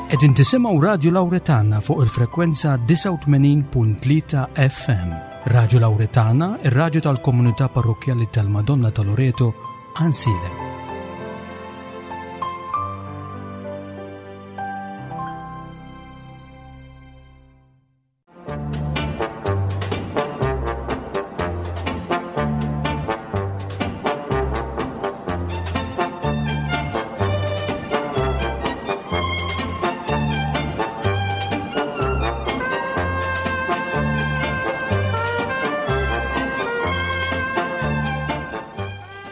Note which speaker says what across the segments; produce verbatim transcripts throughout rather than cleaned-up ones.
Speaker 1: Qegħdin tisimgħu Radju Lawretana fuq il-frekwenza disgħa u tmenin punt tlieta F M. Radju Lawretana, ir-radju tal-Komunità Parrokkjali tal-Madonna ta' Loreto, Għajnsielem.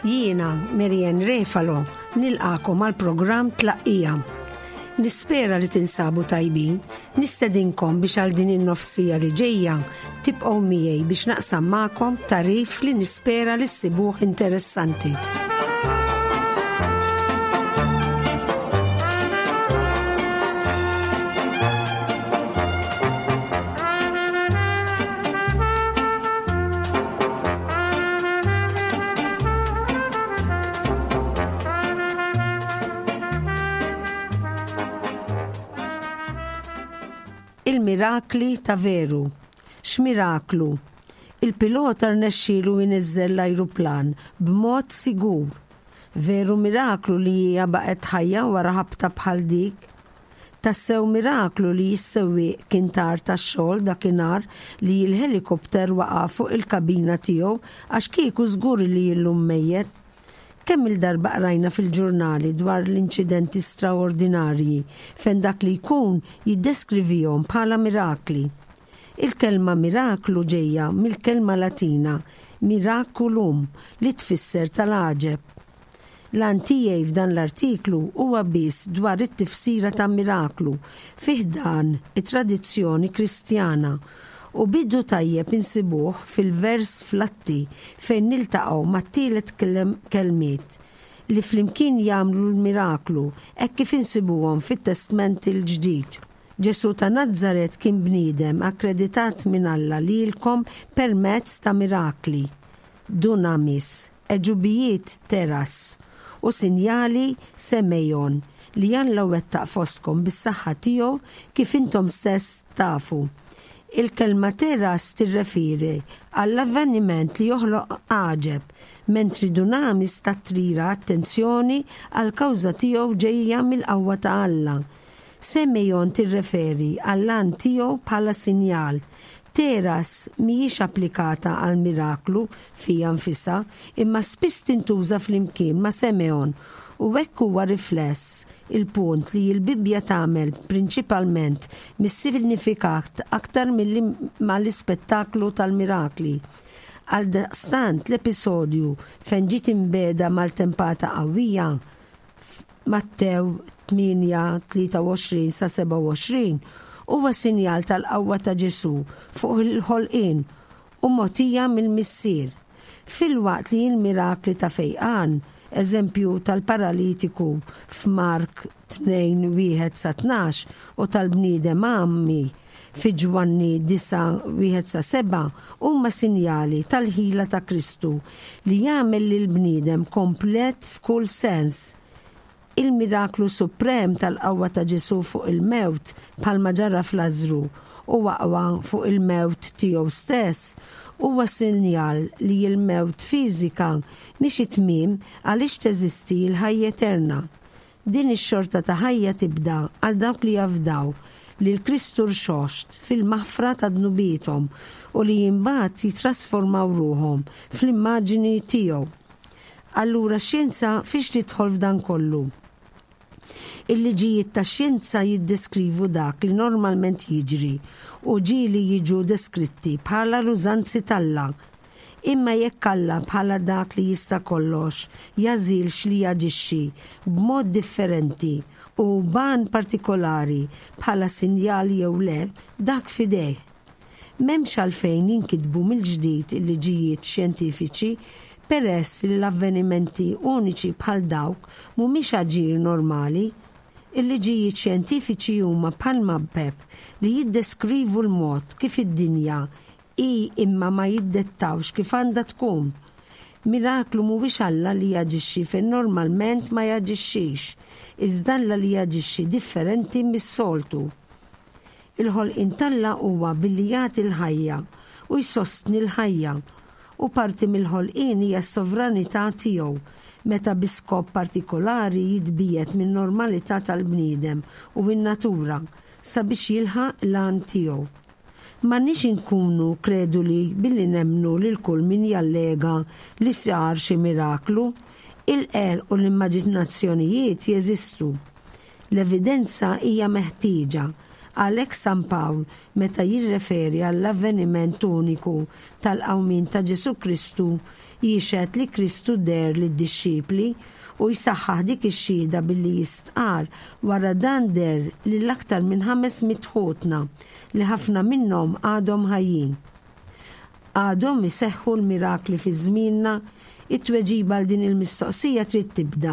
Speaker 2: Jiena, Marianne Refalo, nilqagħkom għal programm Tlaqqija. Nispera li tinsabu tajbin, nistedinkom biex għal din in-nofs siegħa li ġejja tibqgħu miegħi biex naqsam magħkom tagħrif li nispera li ssibuh interessanti. Il-mirakli ta' veru. X'miraklu? Il-pilota rnexxielu jniżżel l-ajruplan b'mod sigur. Veru miraklu li hija baqgħet ħajja wara ħabta bħal dik. Tassew miraklu li s-sewwieq kien tar tax-xogħol dakinhar li l-helikopter waqa' fuq il-kabina tiegħu, għax kieku żgur li illum mejjet. Kemm il-darba qrajna fil-ġurnali dwar l-inċidenti straordinarji fejn dak li jkun jiddeskrivihom bħala mirakli. Il-kelma miraklu ġejja mill-kelma Latina miraculum, li tfisser tal-għaġeb. L-għan tiegħi f'dan l-artiklu huwa biss dwar it-tifsira ta' miraklu fi ħdan it-tradizzjoni Kristjana, u bidu tajjeb insibuh fil-vers fl-Atti fejn niltaqgħu mat-tielet kelmiet li flimkien jagħmlu l-miraklu hekk kif insibuhom fit-Testment il-Ġdid. Ġesu ta' Nazzaret kien bniedem akkreditat minn Alla lilkom permezz ta' mirakli, dunamis, għeġubijiet, teras, u sinjali, semeion, li Alla wettaq fostkom bis-saħħa tiegħu, kif intom stess tafu. Il-kelma teras tirreferi għall-avveniment li joħloq għaġeb, mentri dunamis tattira attenzjoni għal kawża tiegħu ġejja mill-qawwa ta' Alla. Semeion tirreferi għall-għan tiegħu bħala sinjal. Teras mhijiex applikata għal miraklu fija nfisha, imma spiss tintuża flimkien ma' semeion, u hekk huwa rifless il-punt li l-Bibbja tagħmel prinċipalment mis-sinifikat aktar milli mal-ispettaklu tal-mirakli. Għal daqstant l-episodju fejn ġiet imbiegħda maltempata qawwija, Mattew tmienja tlieta u għoxrin sa sebgħa u għoxrin, huwa sinjal tal-qawwa ta' Ġesu fuq il-ħolqien u mogħtija mill-Missier. Filwaqt li l-mirakli ta' fejqan, eżempju tal-paralitiku f'Mark tnejn wieħed sa tnax u tal-bniedem għami fi Ġwanni disgħa wieħed sa sebgħa, huma sinjali tal-ħila ta' Kristu li jagħmel lil bniedem komplet f'kull sens. Il-miraklu suprem tal-qawwa ta' Ġesu fuq il-mewt, bħalma ġara f'Lażru, u aqwa fuq il-mewt tiegħu stess, huwa sinjal li l-mewt fiżika mhix it-tmiem, għaliex teżisti l-ħajja eterna. Din ix-xorta ta' ħajja tibda għal dawk li jafdaw li l-Kristu rxoxt fil-maħfra ta' dnubiethom u li imbagħad jitrasformaw ruħhom fl-immaġini tiegħu. Allura xjenza fiex tidħol f'dan kollu? Il-liġijiet ta' xjenza jiddeskrivu dak li normalment jiġri u ġieli jiġu deskritti bħala l-użanzi t'Alla. Imma jekk Alla, bħala dak li jista' kollox, jagħżilx li jaġixxi b'mod differenti u b'għan partikolari bħala sinjal jew le, dak f'idejh. M'hemmx għalfejn jinkitbu mill-ġdid il-liġijiet xjentifiċi, peress li l-avvenimenti uniċi bħal dawk mhumiex aġir normali. Il-liġijiet xjentifiċi huma bħal mapep li jiddeskrivu l-mod kif id-dinja hi, imma ma jiddettawx kif għandha tkun. Miraklu mhuwiex Alla li jaġixxi fejn normalment ma jaġixxix, iżda Alla li jaġixxi differenti mis-soltu. Il-ħolqien t'Alla huwa billi jagħti l-ħajja u jsostni l-ħajja, u parti mill-ħolqien hija s-sovranità tiegħu meta bi skop partikolari jitbiegħed min-normalità tal-bniedem u n-natura sabiex jilħaq l-għan tiegħu. M'għandniex inkunu kreduli billi nemmnu lil kull min jallega li sar xi miraklu. Il-qerq u l-immaġinazzjonijiet jeżistu. L-evidenza hija meħtieġa. Għalhekk San Pawl meta jirreferi għall-avveniment uniku tal-qawmien ta' Ġesù Kristu jixhed li Kristu deher lid-dixxipli u jsaħħaħ dik ix-xhieda billi jistqarr wara dan deher lil aktar minn ħames mitt ħutna li ħafna minnhom għadhom ħajjin. Għadhom iseħħu l-mirakli fi żmienna? It-tweġiba għal din il-mistoqsija trid tibda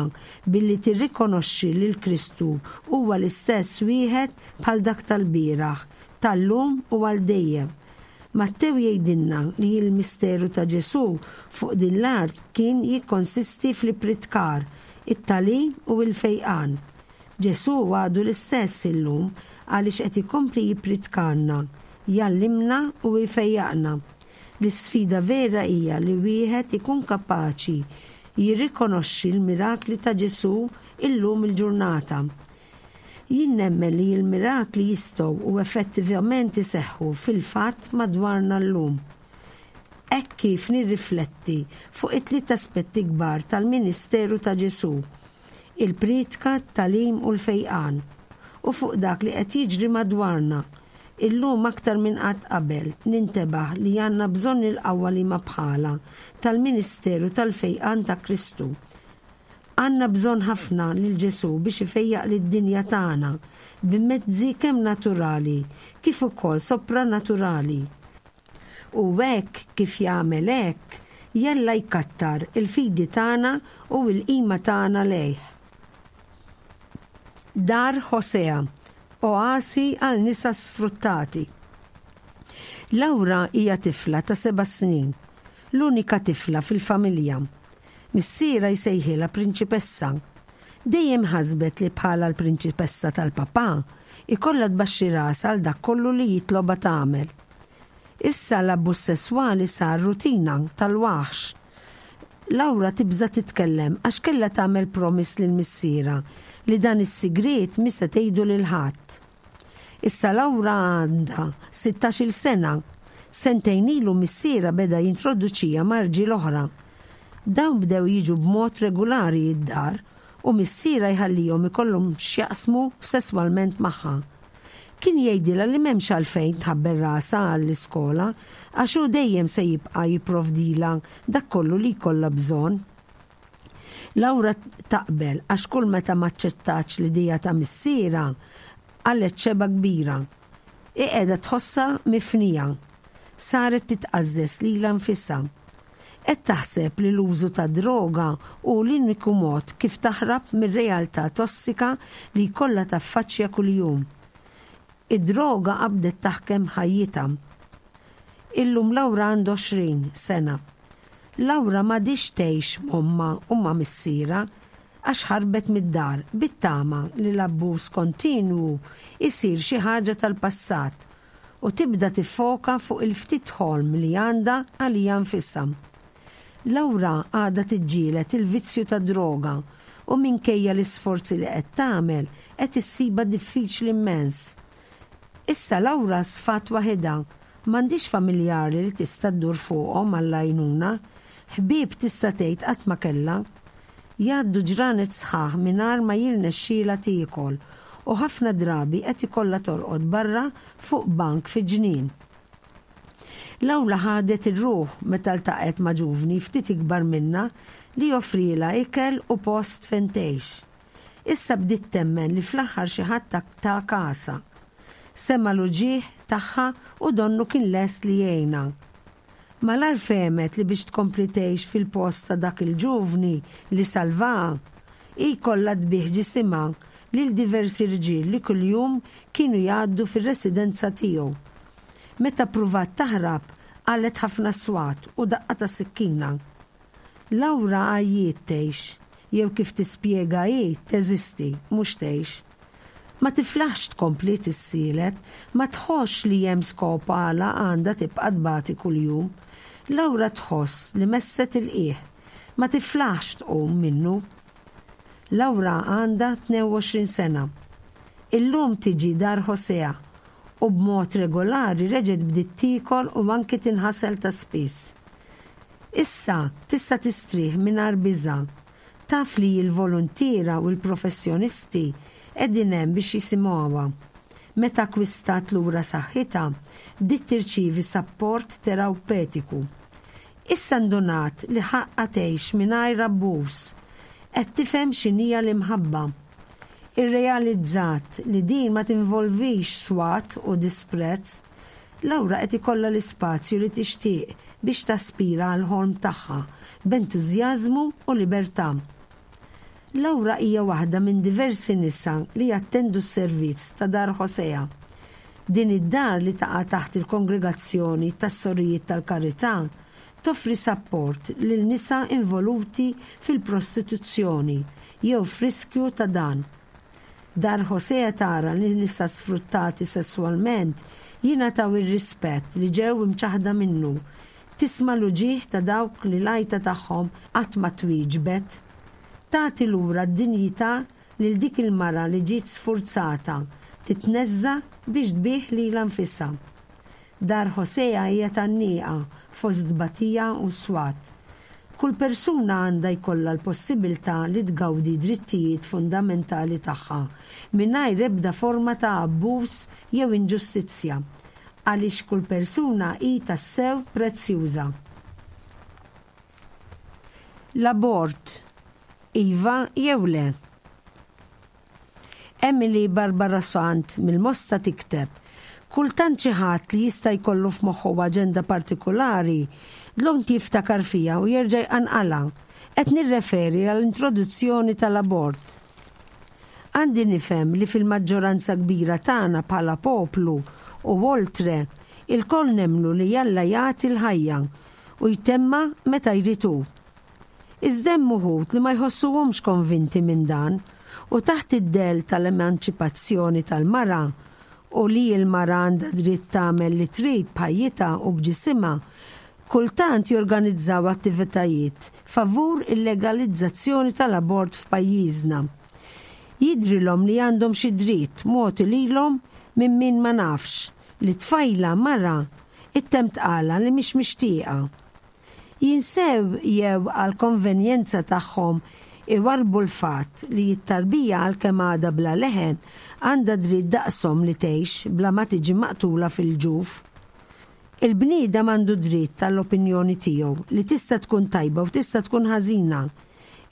Speaker 2: billi tirrikonoxxi li l-Kristu huwa l-istess wieħed bħal dak tal-bieraħ, tal-lum u għal dejjem. Mattew jgħidilna li l-misteru ta' Ġesù fuq din l-art kien jikkonsisti fl-ippritkar, it-tagħlim u l-fejqan. Ġesù għadu l-istess illum għaliex qed ikompli jippritkalna, jgħallimna u jfejjaqna. L-isfida vera hija li wieħed ikun kapaċi jirrikonoxxi l-mirakli ta' Ġesù illum il-ġurnata. Jien nemmen li l-mirakli jistgħu u effettivament iseħħu fil-fatt madwarna llum. Hekk kif nirrifletti fuq it-tliet aspetti kbar tal-ministeru ta' Ġesù, il-priedka, t-tagħlim u l-fejqan, u fuq dak li qed jiġri madwarna, illum aktar minn qatt qabel nintebaħ li għandna bżonn il-qawwa li ma bħala tal-ministeru tal-fejqan ta' Kristu. Għandna bżonn ħafna lil Ġesù biex ifejjaq lid-dinja tagħna b'mezzi kemm naturali kif ukoll sopranaturali. U hekk kif jagħmel hekk, jalla jkattar il-fidi tagħna u l-qima tagħna lejh. Dar Hosea, oasi għal nisa sfruttati. Laura hija tifla ta' seba' snin, l-unika tifla fil-familja. Missierha jsejħilha prinċipessa. Dejjem ħasbet li bħala l-prinċipessa tal-papà ikollha tbaxxi rasha għal dak kollu li jitlobha tagħmel. Issa l-abbuż sesswali sar rutina tal-waħx. Laura tibża' titkellem għax kellha tagħmel promise lil missierha li dan is-sigriet mhi se tgħidu lil ħadd. Issa Laura għandha sittax-il sena. Sentejn ilu missierha beda jintroduċija ma' rġiel oħra. Dawn bdew jiġu b'mod regolari id-dar u missierha jħallihom ikollhom x'jaqsmu sesswalment magħha. Kien jgħidilha li m'hemmx għalfejn tħabber rasha għall-iskola għax hu dejjem se jibqa' jipprovdilha dak kollu li jkollha bżonn. Laura taqbel għax kull meta m'aċċettatx l-idea ta' missierha qalgħet xebgħa kbira. Hi qiegħda tħossha mifnija. Saret titqażżeż lilha nfisha. Qed taħseb li l-użu ta' droga hu l-uniku mod kif taħrab mir-realtà tossika li jkollha taffaċċja kuljum. Id-droga qabdet taħkem ħajjitha. Illum Laura għandha għoxrin sena. Laura m'għadhiex tgħix m'ommha u ma' missierha għax ħarbet mid-dar bit-tama li l-abbuż kontinwu jsir xi ħaġa tal-passat u tibda tiffoka fuq il-ftit ħolm li għandha għalija nfisha. Laura għadha tiġġieled il-vizzju tad-droga u minkejja l-isforzi li qed tagħmel qed issibha diffiċli immens. Issa Laura sfat waħedha, m'għandhiex familjari li tista' ddur fuqhom għall-għajnuna, ħbieb tista' tgħid qatt ma kellha. Jgħaddu ġranet sħaħ mingħajr ma jirnexxielha tiekol u ħafna drabi qed ikollha torqod barra fuq bank fi ġnien. Laura ħadet ir-ruħ meta ltaqgħet ma' ġuvni ftit ikbar minnha li joffrilha ikel u post fejn tgħix. Issa bdiet temmen li fl-aħħar xi ħadd ta' kasha. Sema' l-uġigħ tagħha u donnu kien lest li jgħinha. Malar fehmet li biex tkompli tgħix fil-post ta' dak il-ġuvni li salvaha, hi kollha tbigħ ġisimha lil diversi rġiel li kuljum kienu jgħaddu fir-residenza tiegħu. Meta ppruvat taħrab, qalet ħafna swat u daqqa ta' sikkina. Laura għajjiet tgħix, jew kif tispjega hi teżisti, mhux tgħix. Ma tiflaħx tkompli tissielet, ma tħossx li hemm skop għala għandha tibqa' tbati kuljum. Laura tħoss li messet il-qiegħ, ma tiflaħx tqum minnu. Laura għandha tnejn u għoxrin sena. Illum tiġi Dar Hosea u b'mod regolari reġgħet bdiet tiekol u anki tinħasel ta' spiss. Issa tista' tistrieħ mingħajr biża'. Taf li l-voluntiera u l-professjonisti qegħdin hemm biex jisimgħuha. Meta akkwistat lura saħħitha, bdiet tirċievi sapport terapewtiku. Issa ndunat li ħaqqa tgħix mingħajr abbuż. Qed tifhem x'inhija l-imħabba. Irrealizzat li din ma tinvolvix swat u disprezz. Laura qed ikollha l-ispazju li tixtieq biex taspira għal ħolm tagħha b'entużjażmu u libertà. Laura hija waħda minn diversi nisa li jattendu s-servizz ta' Dar Hosea. Din id-dar, li taqa' taħt il-Kongregazzjoni tas-Sorijiet tal-Karità, toffri sapport lil nisa involuti fil-prostituzzjoni jew f'riskju ta' dan. Dar Hosea tara li nisa sfruttati sesswalment jingħataw ir-rispett li ġew imċaħda minnu. Tisma' l-uġigħ ta' dawk li l-għajta tagħhom qatt ma twieġbet. Tagħti lura d-dinjità lil dik il-mara li ġiet sfurzata titneżża biex tbigħ lilha nfisha. Dar Hosea hija tgħanniqa fost tbatija u swat. Kull persuna għandha jkollha l-possibilità li tgawdi drittijiet fundamentali tagħha mingħajr ebda forma ta' abbuż jew inġustizzja, għaliex kull persuna hi tassew prezzjuża. L-abort, iva jew le? Emily Barbara Sant mill-Mosta tikteb: "Kultant xi ħadd li jista' jkollu f'moħħu aġenda partikolari dlonk jiftakar fija u jerġa' jqanqalha. Qed nirreferi għall-introduzzjoni tal-abort. Għandi nifhem li fil-maġġoranza kbira tagħna bħala poplu u oltre ilkoll nemmnu li Alla jagħti l-ħajja u jtemmha meta jrid hu. Iżda hemm uħud li ma jħossuhomx konvinti minn dan u, taħt id-del tal-emanċipazzjoni tal-mara u li l-mara għandha dritt tagħmel li trid b'ħajjitha u b'ġisimha, kultant jorganizzaw attivitajiet favur il-legalizzazzjoni tal-abort f'pajjiżna. Jidrilhom li għandhom xi dritt mogħti lilhom minn min ma nafx li tfajla mara ittemm tqala li mhix mixtieqa. Jinsew jew għal konvenjenza tagħhom iwarbu l-fatt li t-tarbija, għalkemm għadha bla leħen, għandha dritt daqshom li tgħix bla ma tiġi maqtula fil-ġuf. Il-bniedem għandu dritt tal-opinjoni tiegħu, li tista' tkun tajba u tista' tkun ħażina.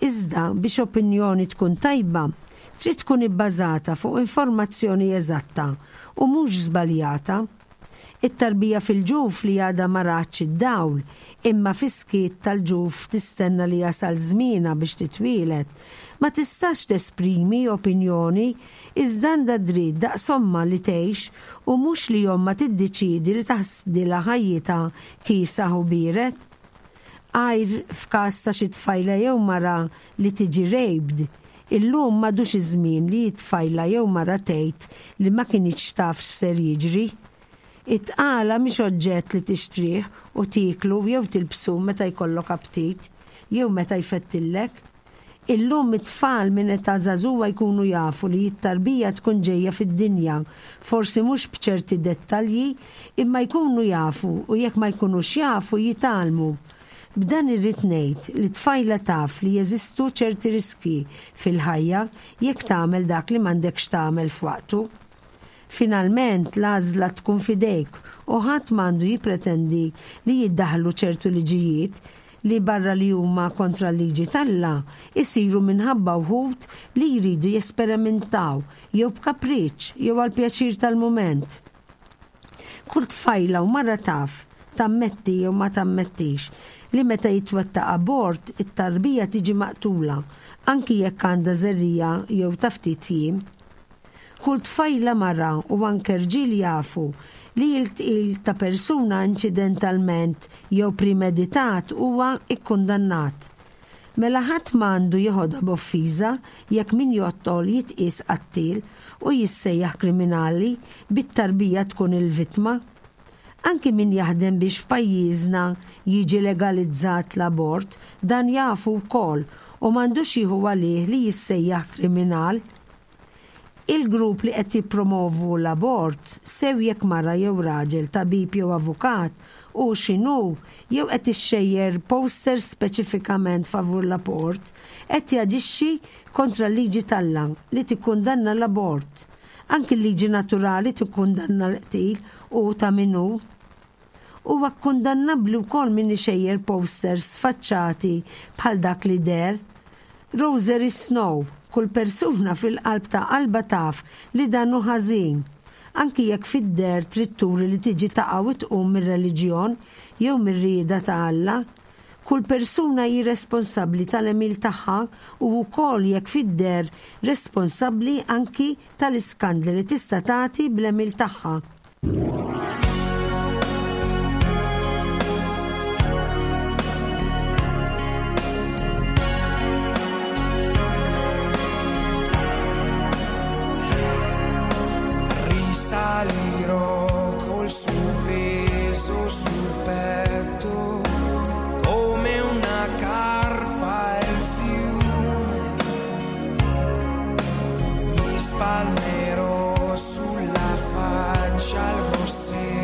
Speaker 2: Iżda biex opinjoni tkun tajba, trid tkun ibbażata fuq informazzjoni eżatta u mhux żbaljata. It-tarbija fil-ġuf li għadha ma ratx id-dawl, imma fis-skiet tal-ġuf tistenna li jasal żmienha biex titwieled, ma tistax tesprimi opinjoni, iżda għandha dritt daqs ommha li tgħix u mhux li ommha tiddeċidi li taħsdilha ħajjitha kiesaħ u biered. Għajr f'każ ta' xi tfajla jew mara li tiġi raped, illum m'għadux iż-żmien li tfajla jew mara tgħid li ma kinitx taf x'ser jiġri. It-tqala mhix oġġett li tixtrih u tieklu jew tilbsu meta jkollok aptit jew meta jfettillek. Illum it-tfal minn età żagħżugħa jkunu jafu li t-tarbija tkun ġejja fid-dinja, forsi mhux b'ċerti dettalji, imma jkunu jafu, u jekk ma jkunux jafu jitgħallmu. B'dan irrid ngħid li tfajla taf li jeżistu ċerti riski fil-ħajja jekk tagħmel dak li m'għandekx tagħmel f'waqtu. Finalment, l-għażla tkun f'idejk u ħadd m'għandu jippretendi li jiddaħlu ċertu liġijiet li, barra li huma kontra l-liġi t'Alla, isiru minħabba wħud li jridu jesperimentaw jew b'kapriċ jew għal pjaċir tal-moment. Kull tfajla u mara taf, tammetti jew ma tammettix, li meta jitwettaq abort it-tarbija tiġi maqtula, anki jekk għandha żerriegħa jew ta' ftit jiem. Kull tfajla, mara u anke rġiel jafu li l-qtil ta' persuna inċidentalment jew premeditat huwa ikkundannat. Mela ħadd m'għandu jeħodha b'offiża jekk min joqtol jitqies qattiel u jissejjaħ kriminali bit-tarbija tkun il-vittma. Anki min jaħdem biex f'pajjiżna jiġi legalizzat l-abort, dan jafu wkoll u m'għandux jieħu għalih li jissejjaħ kriminal. Il-grupp li qed jippromovu l-abort, sew jekk mara jew raġel, tabib jew avukat, u x'inhu, jew qed ixxejjer posters speċifikament favur l-abort, qed jaġixxi kontra l-liġi t'Alla li tikkundanna l-abort. Anki l-liġi naturali tikkundanna l-qtil u ta' min hu. Huwa kkundannabbli wkoll min ixejjer posters sfaċċati bħal dak li deher. Rosary Snow, kull persuna fil-qalb ta' qalbha taf li dan hu ħażin. Anki jekk fid-deher trid turi li tiġi taqa' u tqum mir-reliġjon jew mir-rieda ta' Alla, kull persuna hi responsabbli tal-għemil tagħha u wkoll jekk fid-deher responsabbli anki tal-iskandli li tista' tagħti bl-għemil tagħha.
Speaker 3: Risalirò col suo peso sul petto, come una carpa il fiume. Mi spalmerò sulla faccia il rossetto.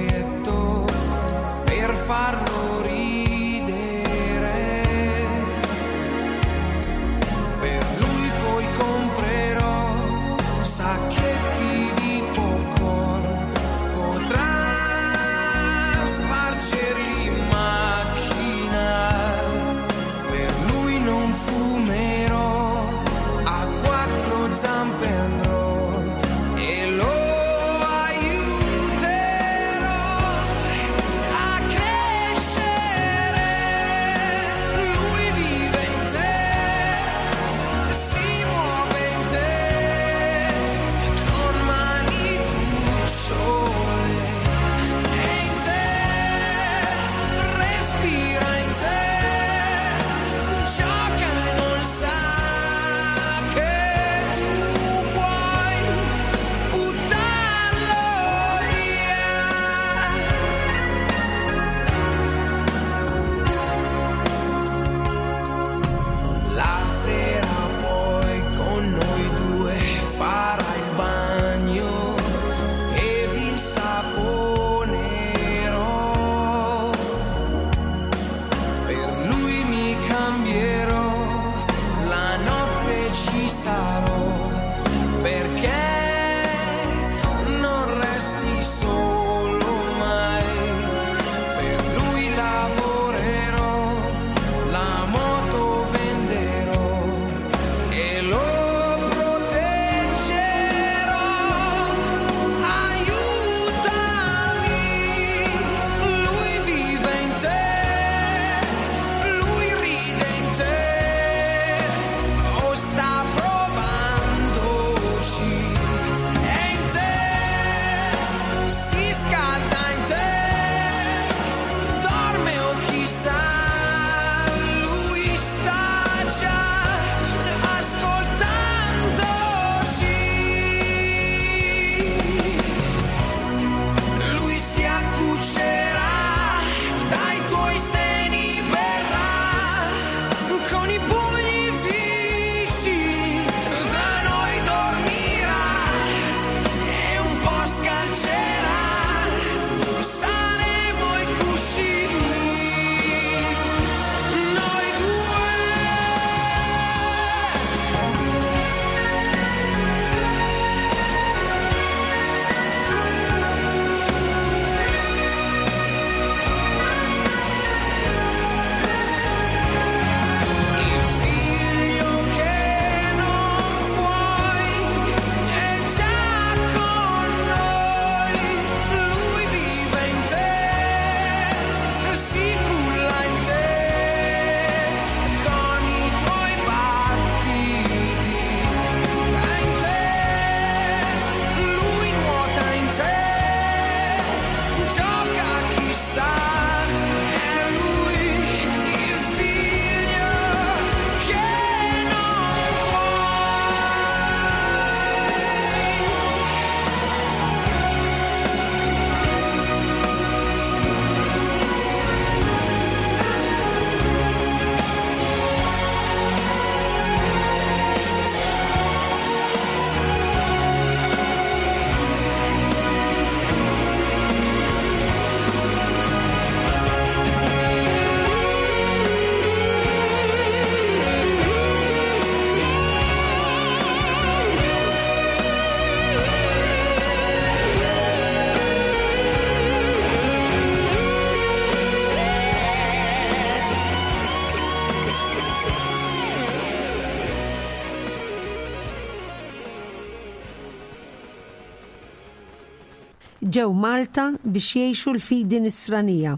Speaker 2: Ġew Malta biex jgħixu l-fidi nisranija,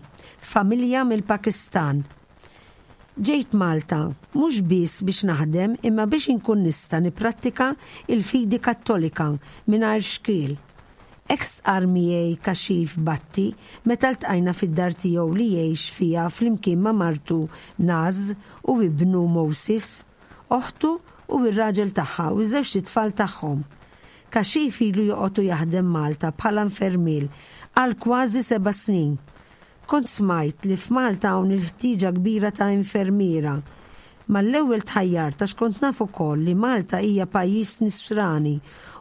Speaker 2: familja mill-Pakistan. Ġejt Malta mhux biss biex naħdem imma biex inkun nista' nipprattika il-fidi Kattolika mingħajr xkiel. Hekk stqarr miegħi Kashif Bhatti meta ltqajna fid-dar tiegħu li jgħix fiha flimkien ma' martu Naz u ibnu Moses, oħtu u r-raġel tagħha u ż-żewġt itfal tagħhom. Kashif ilu joqgħod u jaħdem Malta bħala infermier għal kważi seba' snin. Kont smajt li f'Malta hawn il-ħtieġa kbira ta' infermiera. Mal-ewwel tħajjart għax kont naf ukoll li Malta hija pajjiż nisrani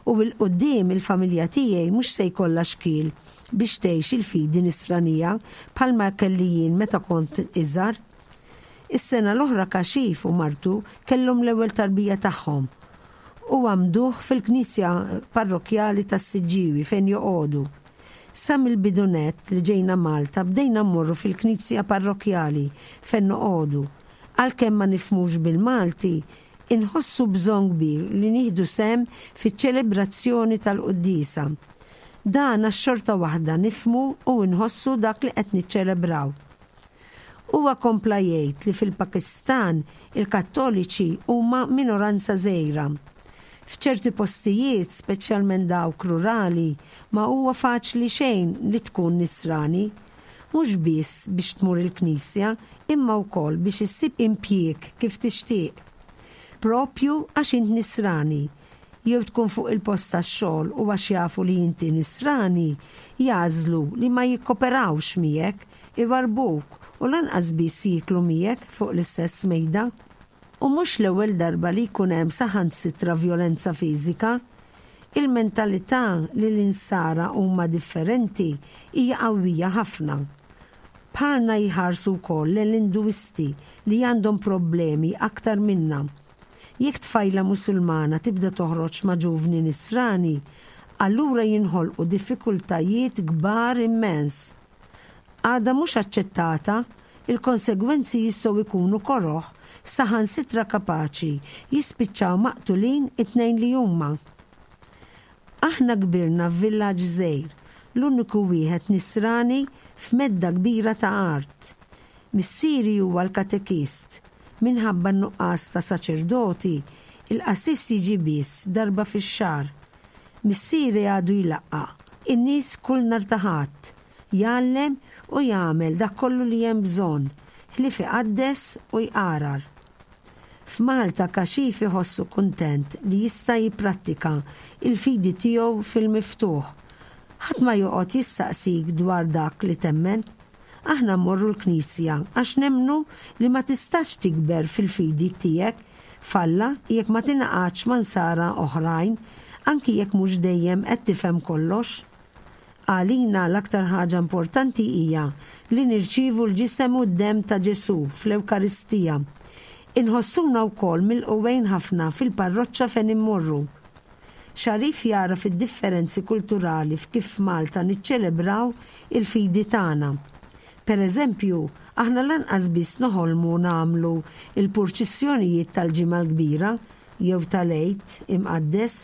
Speaker 2: u 'l quddiem il-familja tiegħi mhux se jkollha xkiel biex tgħix il-fidi nisranija bħalma kelli jien meta kont iżgħar. Is-sena l-oħra Kashif u martu kellhom l-ewwel tarbija tagħhom u għamduh fil-knisja parrokjali tas-Siġġiewi fejn joqogħdu. Sa mill-bidu nett li ġejna Malta bdejna mmorru fil-knisja parrokjali fejn noqogħdu. Għalkemm ma nifhmux bil-Malti, inħossu bżonn kbir li nieħdu sehem fiċ-ċelebrazzjoni tal-quddiesa. Dan għax xorta waħda nifhmu u nħossu dak li qed niċċelebraw. Huwa kompla jgħid li fil-Pakistan il-Kattoliċi huma minoranza żgħira. F'ċerti postijiet, speċjalment dawk rurali, ma huwa faċli xejn li tkun nisrani. Mhux biss biex tmur il-knisja, imma wkoll biex issib impjieg kif tixtieq. Propju għax int nisrani, jew tkun fuq il-post tax-xogħol u għax jafu li inti nisrani, jagħżlu li ma jikkoperawx miegħek, iwarbuk u lanqas biss jieklu miegħek fuq l-istess mejda. U mhux l-ewwel darba li jkun hemm saħansitra vjolenza fiżika. Il-mentalità li l-insara huma differenti hija qawwija ħafna. Bħalna jħarsu wkoll l-Induisti li għandhom problemi aktar minna. Jekk tfajla Musulmana tibda toħroġ ma' ġuvni nisrani, allura jinħolqu diffikultajiet kbar immens. Għada mhux aċċettata, il-konsegwenzi jistgħu jkunu koroh, saħansitra kapaċi jispiċċaw maqtulin it-tnejn li huma. Aħna kbirna f'villaġġ żgħir, l-uniku wieħed nisrani f'medda kbira ta' art. Missieri huwa l-katekist. Minħabba n-nuqqas ta' saċerdoti, il-qassis jiġi biss darba fix-xahar. Missieri għadu jlaqqa' in-nies kull nhar ta' Ħadd, jgħallem u jagħmel dak kollu li hemm bżonn, ħlief iqaddes u jqarar. F'Malta Kashif iħossu kuntent li jista' jipprattika il-fidi tiegħu fil-miftuħ. Ħadd ma joqgħod jistaqsik dwar dak li temmen. Aħna mmorru l-knisja għax nemmnu li ma tistax tikber fil-fidi tiegħek f'Alla jekk ma tingħaqadx ma' nsara oħrajn, anki jekk mhux dejjem qed tifhem kollox. Għalina l-aktar ħaġa importanti hija li nirċievu l-ġisem u d-demm ta' Ġesù fl-Ewkaristija. Inħossuna wkoll milqugħin ħafna fil-parroċċa fejn immorru. Xarif jara fid-differenzi kulturali f'kif Malta niċċelebraw il-fidi tagħna. Per eżempju, aħna lanqas biss noħolmu nagħmlu il-purċissjonijiet tal-Ġimgħa l-Kbira jew tal-Għid Imqaddes,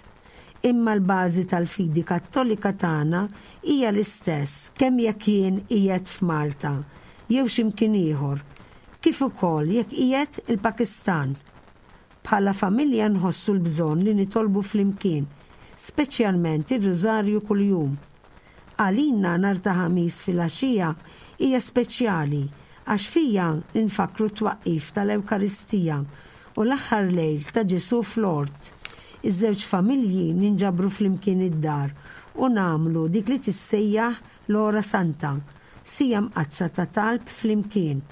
Speaker 2: imma l-bażi tal-fidi Kattolika tagħna hija l-istess kemm jekk jien qiegħed f'Malta jew x'imkien ieħor, kif ukoll jekk qiegħed il-Pakistan. Bħala familja nħossu l-bżonn li nitolbu flimkien, speċjalment ir-Rużarju kuljum. Għalina nhar ta' Ħamis filgħaxija hija speċjali għax fija nfakru t-twaqqif tal-Ewkaristija u l-aħħar lejl ta' Ġesù fl-ort. Iż-żewġ familji ninġabru flimkien id-dar u nagħmlu dik li tissejjaħ l-Ora Santa, sija mqaddsa ta' talb flimkien.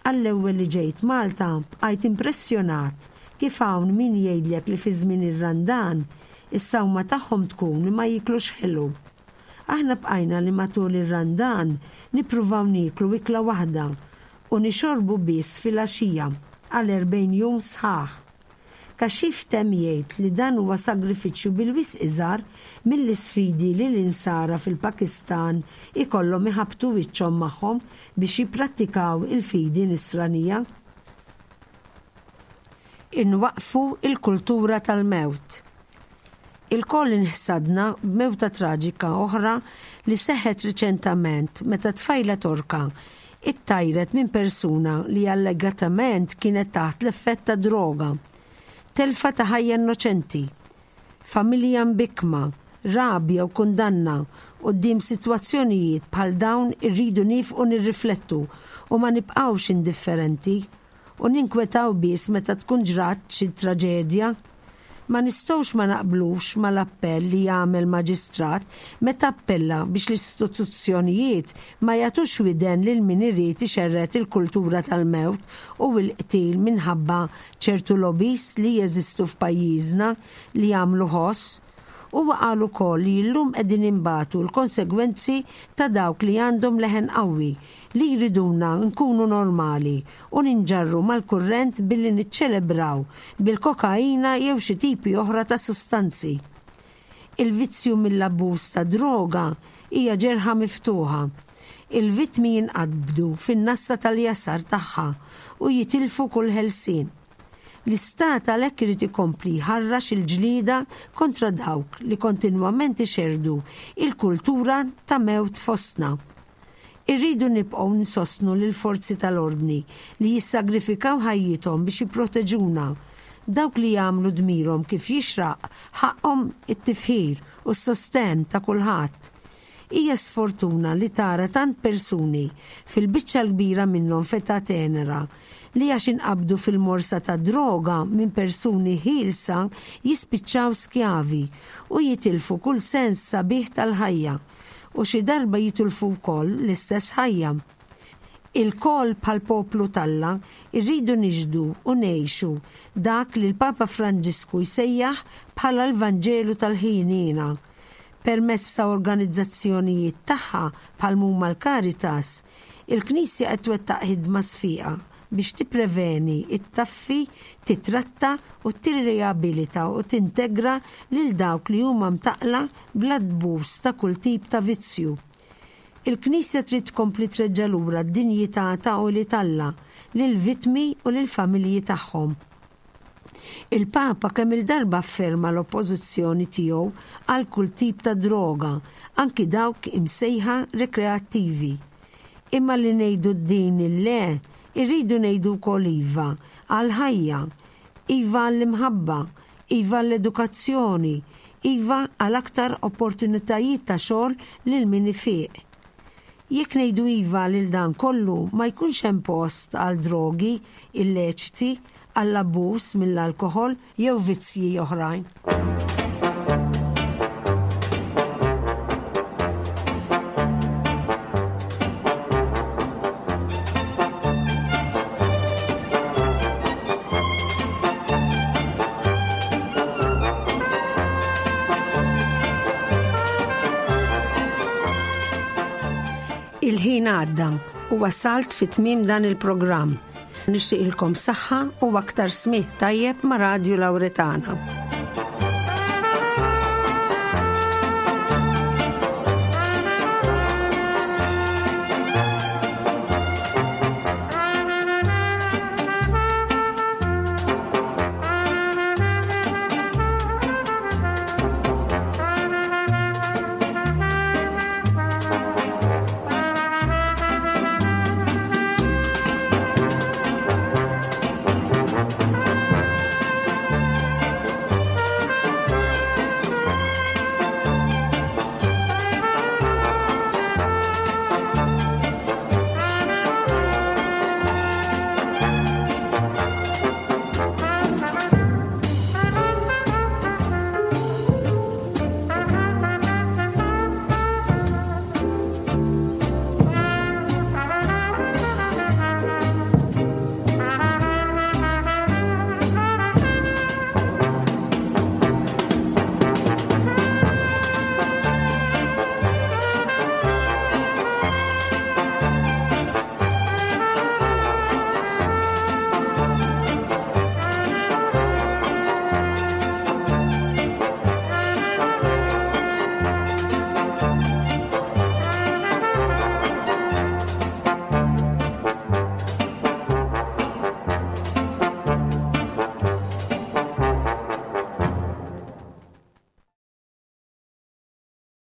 Speaker 2: Għall-ewwel li ġejt Malta bqajt impressjonat kif hawn min jgħidlek li fi żmien ir-Randan is-sawma tagħhom tkun li ma jiklux ħelu. Aħna bqajna li matul ir-Randan nippruvaw nieklu ikla waħda u nixorbu biss filgħaxija għal erbgħin jum sħaħ. Kashif temm jgħid li dan huwa sagrifiċċju bil-wisq iżgħar mill-isfidi li l-insara fil-Pakistan ikollhom iħabtu wiċċhom magħhom biex jipprattikaw il-fidi nisranija. Inwaqfu il-kultura tal-mewt. Ilkoll inħsadna b'mewta traġika oħra li seħħet riċentament meta tfajla Torka ittajret minn persuna li allegatament kienet taħt l-effett ta' droga. Telfa ta' ħajja innoċenti, familja mbikma, rabja u kundanna quddiem sitwazzjonijiet bħal dawn irridu nieqfu nirriflettu u ma nibqgħux indifferenti u ninkwetaw biss meta tkun ġrat xi traġedja. Ma nistgħux ma naqblux mal-appell li jagħmel maġistrat meta appella biex l-istituzzjonijiet ma jagħtux widen lil min irid ixerred il-kultura tal-mewt u l-qtil minħabba ċertu lobbies li jeżistu f'pajjiżna li jagħmlu ħoss. Huwa qal ukoll li llum qegħdin inbatu l-konsegwenzi ta' dawk li għandhom leħen qawwi li jriduna nkunu normali u ninġarru mal-kurrent billi niċċelebraw bil-kokaina jew xi tipi oħra ta' sustanzi. Il-vizzju mill-abbuż ta' droga hija ġerħa miftuħa. Il-vittmi jinqabdu fin-nassa tal-jasar tagħha u jitilfu kull ħelsien. L-istat għalhekk irid ikompli jħarrax il-ġlieda kontra dawk li kontinwament ixerrdu il-kultura ta' mewt fostna. Irridu nibqgħu nsostnu lil forzi tal-ordni li jissagrifikaw ħajjithom biex jipproteġuna. Dawk li jagħmlu dmirhom kif jixraq ħaqhom it-tifħir u s-sosten ta' kulħadd. Hija sfortuna li tara tant persuni fil-biċċa l-kbira minnhom f'età tenera li għax inqabdu fil-morsa ta' droga minn persuni ħielsa jispiċċaw skjavi u jitilfu kull sens sabiħ tal-ħajja u xi darba jitilfu wkoll l-istess ħajja. Ilkoll bħal poplu t'Alla irridu nixhdu u ngħixu dak li l-Papa Franġisku jsejjaħ bħala l-Vanġelu tal-ħniena. Permezz ta' organizzazzjonijiet tagħha bħal huma l-Caritas, il-Knisja qed twettaq ħidma sfiqa biex tippreveni, ittaffi, titratta u tirriabilita u tintegra lil dawk li huma mtaqqla bl-abbuż ta' kull tip ta' vizzju. Il-Knisja trid tkompli treġġa' lura d-dinjità ta' ulied Alla lil-vittmi u lill-familji tagħhom. Il-Papa kemm il-darba afferma l-oppożizzjoni tiegħu għal kull tip ta' droga, anki dawk imsejħa rekreattivi. Imma li ngħidu din il-le, irridu ngħidu wkoll iva għal-ħajja, iva għall-imħabba, iva għall-edukazzjoni, iva għal aktar opportunitajiet ta' xogħol lil min ifiq. Jekk ngħidu iva lil dan kollu ma jkunx hemm post għal drogi illeċiti, għall-abbuż mill-alkoħol jew vizzji oħrajn. Il-ħin għadda u wasalt fi tmiem dan il-programm. Nixtieqilkom saħħa u aktar smigħ tajjeb ma' Radio Lauretana.